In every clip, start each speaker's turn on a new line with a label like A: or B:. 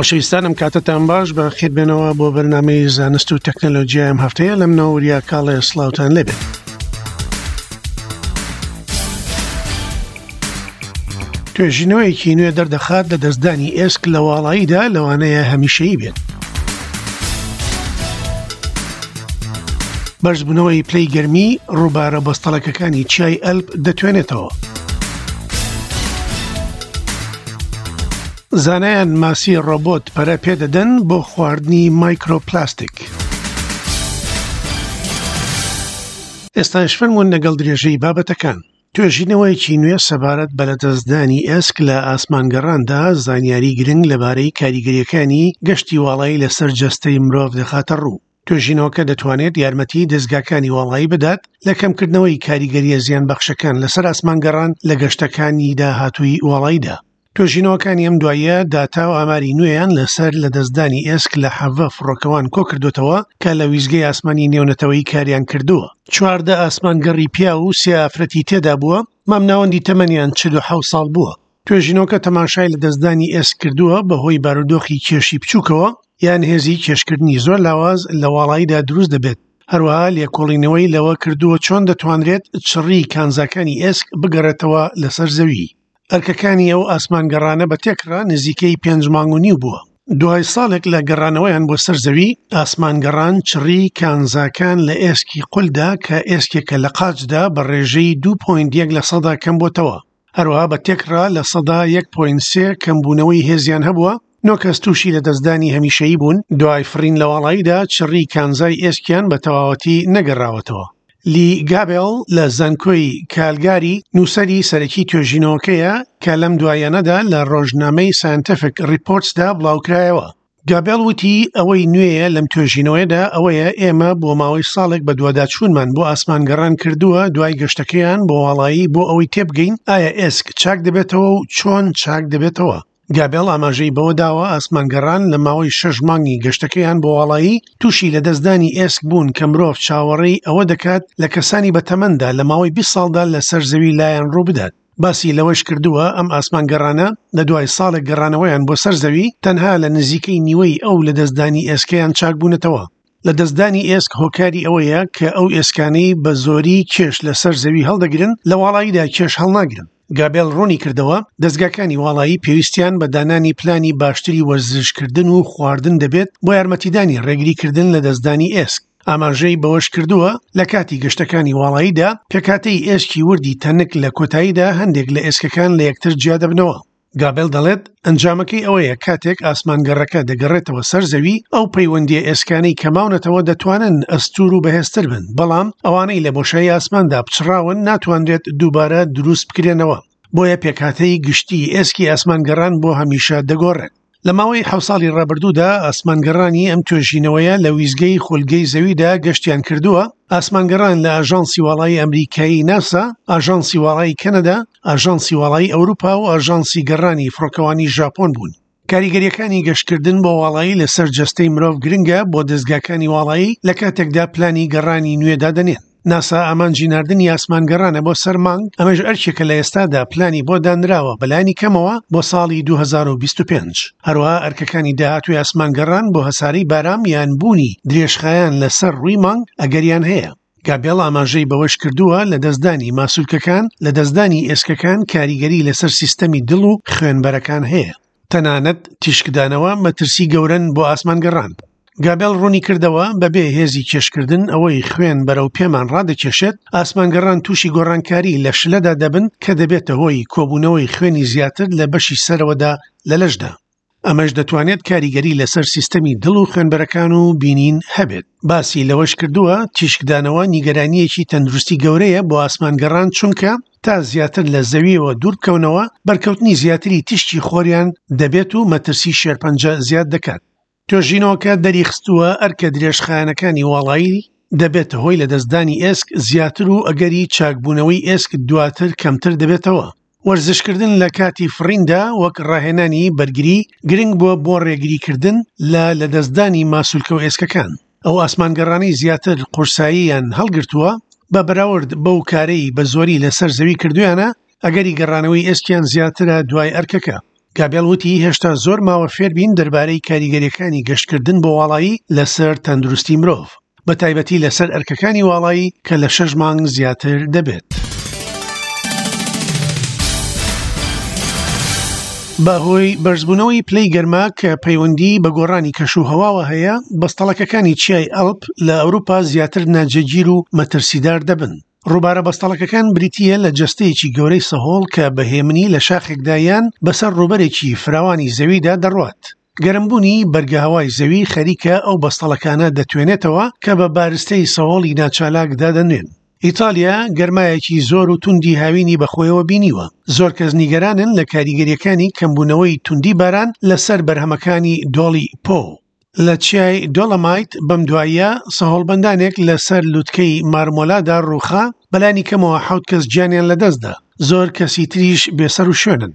A: خۆشەویستانم کاتتان باش بە خێر بێنەوە بۆ بەرنامەی زانست و تەکنەلۆژیای ئەم هەفتەیە لەم نەوریا کاڵێ سڵاوتان لێبێت. توێژینەوەیەکی نوێ دەردەخات لە دەستدانی ئێسک لە واڵاییدا لەوانەیە هەمیشەیی بێت. بەرزبوونەوەی پلەی گەرمی ڕووبارە بەستەڵەکەکانی چیای ئەلپ دەتوێنێتەوە. زانایان ماسی ڕۆبۆت پەرە پێدەدەن بۆ خواردنی مایکرۆپلاستیک. ئێستاش فەرموون لەگەڵ درێژەی بابەتەکان. توێژینەوەیەکی نوێ سەبارەت بە لەدەستدانی ئێسک لە ئاسمانگەڕاندا زانیاری گرنگ لەبارەی کاریگەرییەکانی گەشتی واڵایی لەسەر جەستەی مرۆڤ دەخاتە ڕوو. توێژینەوەکە دەتوانێت یارمەتی دەزگاکانی واڵایی بدات لە کەمکردنەوەی کاریگەرییە زیانبەخشەکان لەسەر ئاسمانگەڕان لە گەشتەکانی داهاتووی واڵاییدا. توێژینەوەکانی ئەم دواییە داتا و ئاماری نوێیان لەسەر لەدەستدانی ئێسک لە 17 فڕۆکەوان کۆکردوتەوە کە لە ویزگەی ئاسمانی نێونەتەوەیی کاریان کردووە. 14 ئاسمانگەڕی پیاو و سێ ئافرەتی تێدا بووە، مامناوەندی تەمەنیان 47 ساڵ بووە. توێژینەوەکە تەماشای لەدەستدانی ئێسک کردووە بەهۆی بارودۆخی کێشی بچووکەوە یان هێزی کێشکردنی زۆر لاواز لە واڵاییدا دروست دەبێت، هەروەها لێکۆڵینەوەی لەوە کردووە چۆن دەتوانرێت چڕیی کانزاکانی ئێسک بگەڕێتەوە لەسەر زەوی. ئەرکەکانی ئەو ئاسمانگەڕانە بە تێکڕا نزیکەی پێنج مانگ و نیو بووە. دوای ساڵێک لە گەڕانەوەیان بۆ سەر زەوی، ئاسمانگەڕان چڕیی کانزاکان لە ئێسکی قولدا کە ئێسکێکە لە قاچدا بە ڕێژەی 2.1 لەسەدا کەمبۆتەوە. هەروەها بە تێکڕا 1.3% کەمبوونەوەی هێزیان هەبووە، نۆ کەس تووشی لەدەستدانی هەمیشەیی بوون، دوای فڕین لە واڵاییدا چڕیی کانزای ئێسکیان بە تەواوەتی نەگەڕاوەتەوە. لی گابێڵ لە زانکۆی کالگاری نووسەری سەرەکی توێژینەوەکەیە کە لەم دواییانەدا لە ڕۆژنامەی ساینتفک ڕیپۆرتسدا بڵاوکرایەوە. گابێڵ وتی، ئەوەی نوێیە لەم توێژینەوەیەدا ئەوەیە ئێمە بۆ ماوەی ساڵێک بەدواداچوونمان بۆ ئاسمانگەڕان کردووە دوای گەشتەکەیان بۆ واڵایی بۆ ئەوەی تێبگەین ئایا ئێسک چاک دەبێتەوە و چۆن چاک دەبێتەوە. گابێڵ ئاماژەی بەوە داوە ئاسمانگەڕان لە ماوەی شەش مانگی گەشتەکەیان بۆ واڵایی تووشی لەدەستدانی ئێسک بوون کە مرۆڤ چاوەڕێی ئەوە دەکات لە کەسانی بەتەمەندا لە ماوەی 20 ساڵدا لەسەر زەوی لایان ڕووبدات. باسی لەوەش کردووە، ئەم ئاسمانگەڕانە لە دوای ساڵێک گەڕانەوەیان بۆ سەر زەوی، تەنها لە نزیکەی نیوەی ئەو لەدەستدانی ئێسکەیان چاکبوونەتەوە. لەدەستدانی ئێسک هۆکاری ئەوەیە کە ئەو ئێسکانەی بە زۆری کێش لەسەر زەوی هەڵدەگرن، لە واڵاییدا کێش هەڵناگرن. گابێل ڕوونی کردەوە، دەزگاکانی واڵایی پێویستیان بە دانانی پلانی باشتری وەرزشکردن و خواردن دەبێت بۆ یارمەتیدانی ڕێگریکردن لەدەستدانی ئێسک. ئاماژەی بەوەشکردووە، لە کاتی گەشتەکانی واڵاییدا پێکهاتەی ئێسکی وردی تەنک لە کۆتاییدا هەندێک لە ئێسکەکان لە یەکتر جیادەبنەوە. گابێل دەڵێت، ئەنجامەکەی ئەوەیە کاتێک ئاسمانگەڕەکە دەگەڕێتەوە سەر زەوی، ئەو پەیوەندییە ئێسکانەی کە ماونەتەوە دەتوانن ئەستوور و بەهێزتر بن، بەڵام ئەوانەی لە بۆشایی ئاسماندا پچڕاون ناتوانرێت دووبارە دروست بکرێنەوە، بۆیە پێکهاتەی گشتی ئێسکی ئاسمانگەڕان بۆ هەمیشە دەگۆڕێت. لە ماوەی حەوت ساڵی ڕابردوودا ئاسمانگەڕانی ئەم توێژینەوەیە لە ویستگەی خولگەی زەویدا گەشتیان کردووە، ئاسمانگەڕان لە ئاژانسی واڵایی ئەمریکایی ناسا، ئاژانسی واڵایی کەنەدا، ئاژانسی واڵایی ئەوروپا و ئاژانسی گەڕانی فڕۆکەوانی ژاپۆن بوون. کاریگەرییەکانی گەشتکردن بۆ واڵایی لەسەر جەستەی مرۆڤ گرنگە بۆ دەزگاکانی واڵایی لە کاتێکدا پلانی گەڕانی نوێ دادەنێن. ناسا ئامانجی ناردنی ئاسمانگەڕانە بۆ سەر مانگ، ئەمەش ئەرکێکە لە ئێستادا پلانی بۆ دانراوە بەلایەنی کەمەوە بۆ ساڵی 2025. هەروەها ئەرکەکانی داهاتووی ئاسمانگەڕان بۆ هەسارەی بارام یان بوونی درێژخایەن لەسەر ڕووی مانگ ئەگەریان هەیە. گابێڵ ئاماژەی بەوەشکردووە، لەدەستدانی ماسولکەکان، لەدەستدانی ئێسکەکان کاریگەری لەسەر سیستەمی دڵ و خوێنبەرەکان هەیە. تەنانەت تیشکدانەوە مەترسی گەورەن بۆ ئاسمانگەڕان. گابێڵ ڕوونی کردەوە، بەبێ هێزی کێشکردن ئەوەی خوێن بەرەو پێمان ڕادەکێشێت، ئاسمانگەڕان تووشی گۆڕانکاری لە شلەدا دەبن کە دەبێتە هۆی کۆبوونەوەی خوێنی زیاتر لە بەشی سەرەوەدا لە لەشدا. ئەمەش دەتوانێت کاریگەری لەسەر سیستەمی دڵ و خوێنبەرەکان و بینین هەبێت. باسی لەوەش کردووە، تیشکدانەوە نیگەرانییەکی تەندروستی گەورەیە بۆ ئاسمانگەڕان چونکە تا زیاتر لە زەوییەوە دوور بکەونەوە، بەرکەوتنی زیاتری تیشکی خۆریان دەبێت و مەترسی شێرپەنجە زیاد دەکات. توێژینەوەکە دەریخستووە ئەرکە درێژخایەنەکانی واڵایی دەبێتە هۆی لەدەستدانی ئێسک زیاتر و ئەگەری چاکبوونەوەی ئێسک دواتر کەمتر دەبێتەوە. وەرزشکردن لە کاتی فڕیندا وەک ڕاهێنانی بەرگری گرنگ بووە بۆ ڕێگریکردن لە لەدەستدانی ماسولکە و ئێسکەکان. ئەو ئاسمانگەڕانەی زیاتر قورساییان هەڵگرتووە بە بەراورد بەو کارەی بە زۆری لەسەر زەوی کردوویانە، ئەگەری گەڕانەوەی ئێسکیان زیاترە دوای ئەرکەکە. گابێڵ وتی هێشتا زۆر ماوە فێربین دەربارەی کاریگەریەکانی گەشتکردن بۆ واڵایی لەسەر تەندروستی مرۆڤ، بە تایبەتی لەسەر ئەرکەکانی واڵایی کە لە شەش مانگ زیاتر دەبێت. بەهۆی بەرزبوونەوەی پلەی گەرما کە پەیوەندی بە گۆڕانی کەش و هەواوە هەیە، بەستەڵەکەکانی چیای ئەڵپ لە ئەوروپا زیاتر ناجێگیر و مەترسیدار دەبن. ڕووبارە بەستەڵەکەکان بریتییە لە جەستەیەکی گەورەی سەهۆڵ کە بە هێمنی لە شاخێکدا یان بەسەر ڕووبەرێکی فراوانی زەویدا دەڕوات. گەرمبوونی بەرگەهەوای زەوی خەریکە ئەو بەستەڵەکانە دەتوێنێتەوە کە بە بارستەی سەهۆڵی ناچالاک دادەنرێن. ئیتالیا گەرمایەکی زۆر و توندی هاوینی بەخۆیەوە بینیوە. زۆر کەس نیگەرانن لە کاریگەرییەکانی کەمبوونەوەی توندی باران لەسەر بەرهەمەکانی دۆڵی پۆ. لە چیای دۆڵەمایت بەم دواییە سەهۆڵبەندانێک لەسەر لوتکەی مارمۆلادا ڕووخا، بەلانی کەمەوە حەوت کەس گیانیان لەدەستدا، زۆر کەسی تریش بێسەروشوێنن.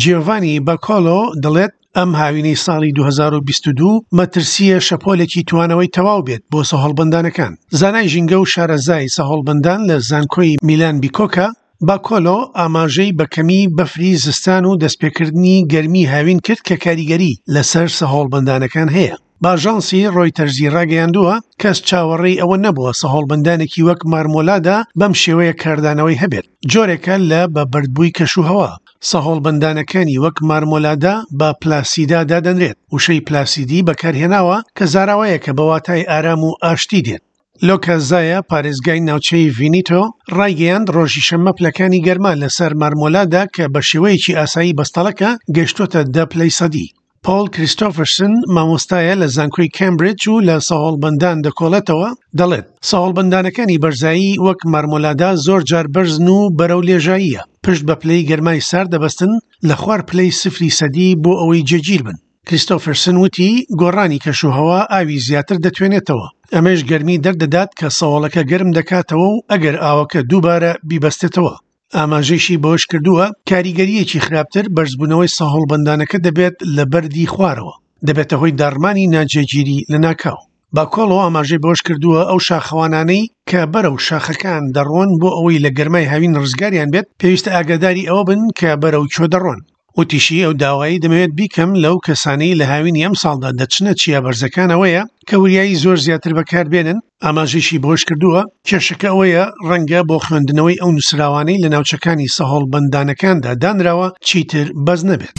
A: جیۆڤانی باکۆلۆ دەڵێت، ئەم هاوینەی ساڵی 2022 مەترسییە شەپۆلێکی توانەوەی تەواو بێت بۆ سەهۆڵبەندانەکان. زانای ژینگە و شارەزای سەهۆڵبەندان لە زانکۆی میلان بیکۆکا، باکۆلۆ ئاماژەی بە کەمی بەفری زستان و دەستپێکردنی گەرمی هاوین کرد کە کاریگەری لەسەر سەهۆڵبەندانەکان هەیە. بە ئاژانسی ڕۆیتەرزی ڕاگەیاندووە، کەس چاوەڕێی ئەوە نەبووە سەهۆڵبەندانێکی وەک مارمۆلادا بەم شێوەیە کاردانەوەی هەبێت، جۆرێکە لە بە بەردبووی کەشوهەوا. سەهۆڵبەندانەکانی وەک مارمۆلادا بە پلاسیدا دادەنرێت، وشەی پلاسیدی بەکارهێناوە کە زاراوەیەکە بە واتای ئارام و ئاشتی دێت. لۆکا زایا، پارێزگای ناوچەی ڤینیتۆ ڕایگەیاند، ڕۆژی شەممە پلەکانی گەرما لەسەر مارمۆلادا کە بە شێوەیەکی ئاسایی بەستەڵەکە، گەیشتۆتە دە پلەی سەدی. پۆڵ کریستۆفەرسن، مامۆستایە لە زانکۆی کامبریدج و لە سەهۆڵبەندان دەکۆڵێتەوە، دەڵێت، سەهۆڵبەندانەکانی بەرزایی وەک مارمۆلادا زۆر جار بەرزن و بەرەو لێژاییە، پشت بە پلەی گەرمای سارد دەبەستن لە خوار پلەی سفری سەدی بۆ ئەوەی جێگیر بن. کریستۆفەرسن وتی، گۆڕانی کەشوهەوا ئاوی زیاتر دەتوێنێتەوە، ئەمەش گەرمی دەردەدات کە سەهۆڵەکە گەرم دەکاتەوە و ئەگەر ئاوەکە دووبارە بیبەستێتەوە. ئاماژەیشی بەوەشکردووە، کاریگەرییەکی خراپتر بەرزبوونەوەی سەهۆڵبەندانەکە دەبێت لە بەردی خوارەوە، دەبێتە هۆی داڕمانی ناجێگیری لەناکاو. باکۆڵۆ ئاماژەی بەوەشکردووە، ئەو شاخەوانانەی کە بەرەو شاخەکان دەڕۆن بۆ ئەوەی لە گەرمای هاوین ڕزگاریان بێت، پێویستە ئاگاداری ئەوە بن کە بەرەو کوێ دەڕۆن. وتیشی، ئەو داوایەی دەمەوێت بیکەم لەو کەسانەی لە هاوینی ئەمساڵدا دەچنە چیا بەرزەکان ئەوەیە کە وریایی زۆر زیاتر بەکاربێنن، ئاماژەیشی بەوەشکردووە، کێشەکە ئەوەیە ڕەنگە بۆ خوێندنەوەی ئەو نووسراوانەی لە ناوچەکانی سەهۆڵبەندانەکاندا دانراوە چیتر بەس نەبێت.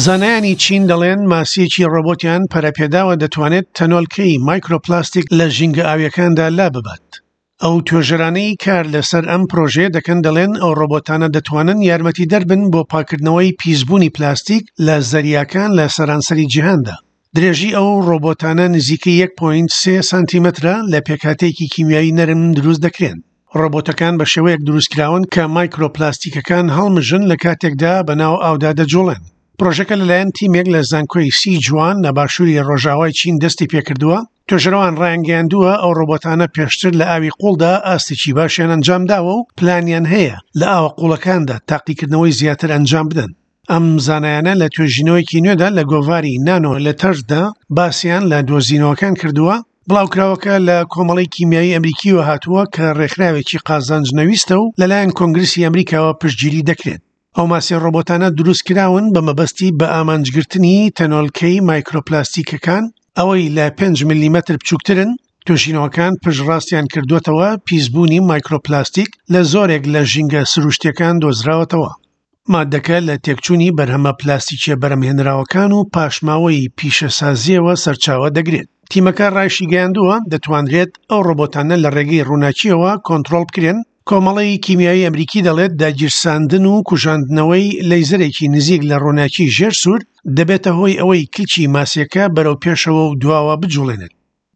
A: زانایانی چین دەڵێن ماسییەکی ڕۆبۆتیان پەرەپێداوە دەتوانێت تەنۆلکەی مایکرۆپلاستیک لە ژینگە ئاوییەکاندا لاببات. ئەو توێژەرانەی کار لەسەر ئەم پرۆژەیە دەکەن دەڵێن ئەو ڕۆبۆتانە دەتوانن یارمەتیدەر بن بۆ پاککردنەوەی پیسبوونی پلاستیک لە زەریاکان لە سەرانسەری جیهاندا. درێژی ئەو ڕۆبۆتانە نزیکەی 1.3 سانتیمەترە لە پێکهاتەیەکی کیمیایی نەرم دروست دەکرێن. ڕۆبۆتەکان بە شێوەیەک دروستکراون کە مایکرۆپلاستیکەکان هەڵمژن لە کاتێکدا بەناو ئاودا دەجوڵێن. پرۆژەکە لەلایەن تیمێک لە زانکۆی سی جوان لە باشووری ڕۆژاوای چین دەستی پێکردووە، توێژەرەوان ڕایانگەیاندووە ئەو ڕۆبۆتانە پێشتر لە ئاوی قوڵدا ئاستێکی باشیان ئەنجامداوە و پلانیان هەیە لە ئاوە قوڵەکاندا تاقیکردنەوەی زیاتر ئەنجام بدەن. ئەم زانایانە لە توێژینەوەیەکی نوێدا لە گۆڤاری نانۆ لێتەرزدا باسیان لە دۆزینەوەکان کردووە، بڵاوکراوەکە لە کۆمەڵەی کیمیایی ئەمریکیوە هاتووە کە ڕێکخراوێکی قازانج نەویستە و لەلایەن کۆنگرسی ئەمریکاوە پشتگیری دەکرێت. ئەو ماسیە ڕۆبۆتانە دروستکراون بە مەبەستی بە ئامانجگرتنی تەنۆلکەی مایکرۆپلاستیکەکان، ئەوەی لە پێنج ملیمەتر بچووکترن، توێژینەوەکان پشتڕاستیان کردووەتەوە پیسبوونی مایکرۆپلاستیک لە زۆرێک لە ژینگە سروشتییەکان دۆزراوەتەوە. ماددەکە لە تێکچوونی بەرهەمە پلاستیکییە بەرهەمهێنراوەکان و پاشماوەی پیشەسازییەوە سەرچاوە دەگرێت. تیمەکە ڕایشیگەیاندووە، دەتوانرێت ئەو ڕۆبۆتانە لە ڕێگەی ڕووناکییەوە کۆنترۆڵ بکرێن، کۆمەڵەی کیمیایی ئەمریکی دەڵێت داگیرساندن و کوژاندنەوەی لەیزەرێکی نزیک لە ڕووناکی ژێر سوور دەبێتە هۆی ئەوەی کلکی ماسیەکە بەرەو پێشەوە و دواوە بجوڵێنێت.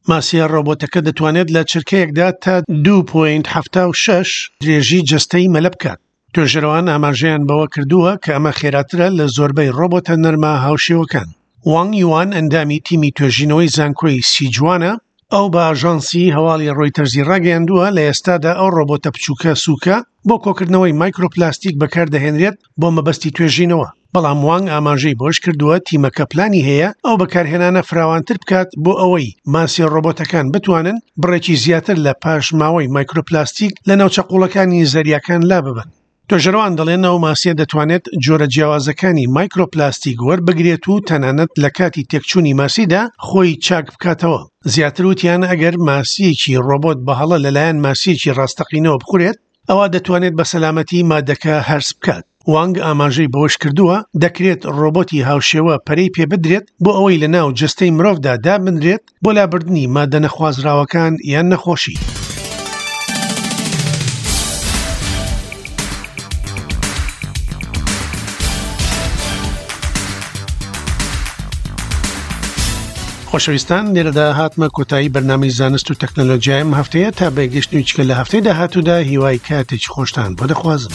A: ماسیە ڕۆبۆتەکە دەتوانێت لە چرکەیەکدا تا 2.76 درێژی جەستەی مەلە بکات. توێژەرەوان ئاماژەیان بەوە کردووە کە ئەمە خێراترە لە زۆربەی ڕۆبۆتە نەرمە هاوشێوەکان. وانگ یوان ئەندامی تیمی توێژینەوەی زانکۆی سیجوانە، ئەو بە ئاژانسی هەواڵی ڕۆیتەرزی ڕاگەیاندووە، لە ئێستادا ئەو ڕۆبۆتە بچووکە سووکە بۆ کۆکردنەوەی مایکرۆپلاستیک بەکاردەهێنرێت بۆ مەبەستی توێژینەوە، بەڵام وانگ ئاماژەی بەوەشکردووە، تیمەکە پلانی هەیە ئەو بەکارهێنانە فراوانتر بکات بۆ ئەوەی ماسیە ڕۆبۆتەکان بتوانن بڕێکی زیاتر لە پاشماوەی مایکرۆپلاستیک لە ناوچە قووڵەکانی زەریاکان لاببەن. توێژەرەوان دەڵێن ئەو ماسییە دەتوانێت جۆرە جیاوازەکانی مایکرۆپلاستیک وەربگرێت و تەنانەت لە کاتی تێکچوونی ماسیدا خۆی چاک بکاتەوە. زیاتر وتیان ئەگەر ماسییەکی ڕۆبۆت بە هەڵە لەلایەن ماسییەکی ڕاستەقینەوە بخورێت، ئەوا دەتوانێت بە سەلامەتی مادەکە هەرس بکات. وانگ ئاماژەی بەوەشکردووە، دەکرێت ڕۆبۆتی هاوشێوە پەرەی پێبدرێت بۆ ئەوەی لەناو جەستەی مرۆڤدا دابنرێت بۆ لابردنی مادە نەخوازراوەکان یان نەخۆشی. خۆشەویستان لێرەدا هاتمە کۆتایی بەرنامەی زانست و تەکنەلۆژیایم هەفتەیە تا بەگەشتنی چکە لە هەفتەی داهاتوودا هیوای کاتێکی خۆشتان بۆ دەخوازم.